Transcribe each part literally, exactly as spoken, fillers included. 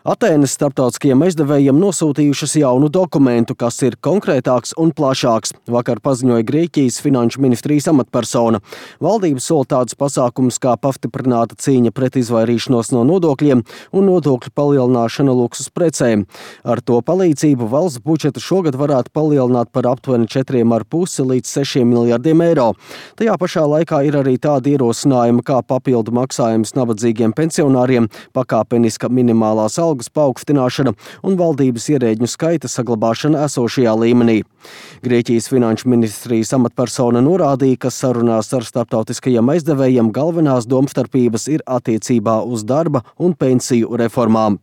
Atēnas starptautiskajiem aizdevējiem nosūtījušas jaunu dokumentu, kas ir konkrētāks un plašāks. Vakar paziņoja Grieķijas finanšu ministrijas amatpersona. Valdība sola tādus pasākumus kā pastiprināta cīņa pret izvairīšanos no nodokļiem un nodokļu palielināšana luksus precēm. Ar to palīdzību valsts budžetu šogad varētu palielināt par aptuveni četriem ar pusi līdz sešiem miljardiem eiro. Tajā pašā laikā ir arī tādi ierosinājumi kā papildu maksājums nabadzīgiem pensionāriem, pakāpeniska minimālās algas paaugstināšana un valdības ierēģņu skaita saglabāšana esošajā līmenī. Grieķijas finanšu ministrijas amatpersona norādīja, ka sarunās ar starptautiskajiem aizdevējiem galvenās domstarpības ir attiecībā uz darba un pensiju reformām.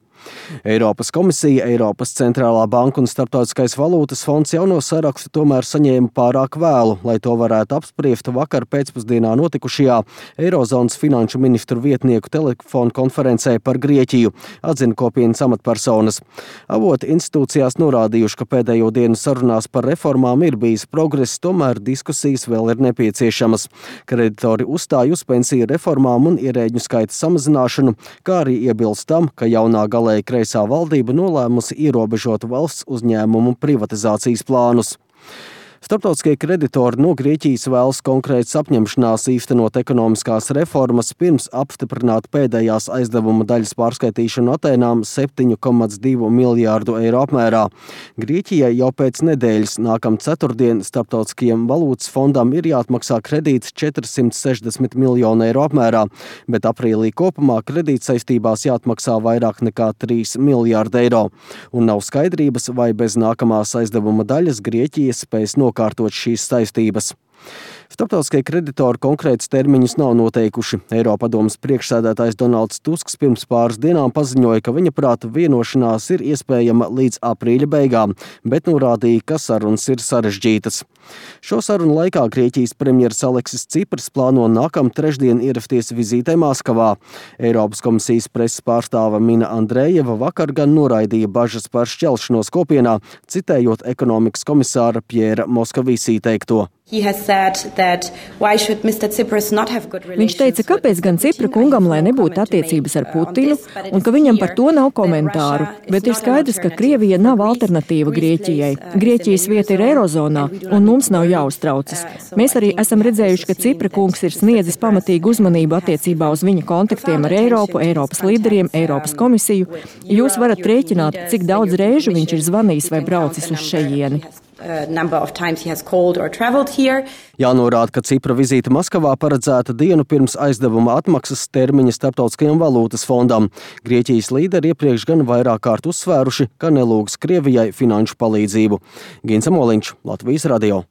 Eiropas komisija, Eiropas centrālā banka un Starptautiskais valūtas fonds jauno sarakstu tomēr saņēma pārāk vēlu, lai to varētu apspriest vakar pēcpusdienā notikušajā Eirozonas finanšu ministru vietnieku telefonu konferencē par Grieķiju, atzina kopienas amatpersonas. Avoti institūcijās norādījuši, ka pēdējo dienu sarunās par reformām ir bijis progress, tomēr diskusijas vēl ir nepieciešamas. Kreditori uzstāj uz pensiju reformām un ierēģņu skaita samazināšanu, kā arī iebilst tam, ka jaunā galā kreisā valdība nolēmusi ierobežot valsts uzņēmumu privatizācijas plānus. Starptautiskie kreditori no Grieķijas vēlas konkrētas apņemšanās īstenot ekonomiskās reformas pirms apstiprināt pēdējās aizdevuma daļas pārskaitīšanu Atēnām septiņu komats divu miljārdu eiro apmērā. Grieķijai jau pēc nedēļas nākam ceturtdien Starptautiskajam valūtas fondam ir jāatmaksā kredīts četrsimt sešdesmit miljonu eiro apmērā, bet aprīlī kopumā kredītsaistībās jāatmaksā vairāk nekā trīs miljārdi eiro. Un nav skaidrības, vai bez nākamās aizdevuma daļas Grieķija spēs no nokārtot šīs saistības. Starptautiskie kreditori konkrētus termiņus nav noteikuši. Eiropadomes priekšsēdētājs Donalds Tusks pirms pāris dienām paziņoja, ka viņa prāta vienošanās ir iespējama līdz aprīļa beigām, bet norādīja, ka sarunas ir sarežģītas. Šo sarunu laikā Grieķijas premjeras Aleksis Cipras plāno nākam trešdien ierasties vizītē Maskavā. Eiropas komisijas preses pārstāve Mina Andrejeva vakar gan noraidīja bažas par šķelšanos kopienā, citējot ekonomikas komisāra Pjēra Moskavīsī teikto. Viņš teica, kāpēc gan Cipra kungam, lai nebūtu attiecības ar Putinu, un ka viņam par to nav komentāru. Bet ir skaidrs, ka Krievija nav alternatīva Grieķijai. Grieķijas vieta ir Eirozonā, un mums nav jāuztraucas. Mēs arī esam redzējuši, ka Cipra kungs ir sniedzis pamatīgu uzmanību attiecībā uz viņa kontaktiem ar Eiropu, Eiropas līderiem, Eiropas komisiju. Jūs varat rēķināt, cik daudz reižu viņš ir zvanījis vai braucis uz šejieni. Jānorāda, ka Cipra vizīte Maskavā paredzēta dienu pirms aizdevuma atmaksas termiņa Starptautiskajam valūtas fondam. Grieķijas līderi iepriekš gan vairāk kārt uzsvēruši, ka nelūgs Krievijai finanšu palīdzību. Gins Amoliņš, Latvijas radio.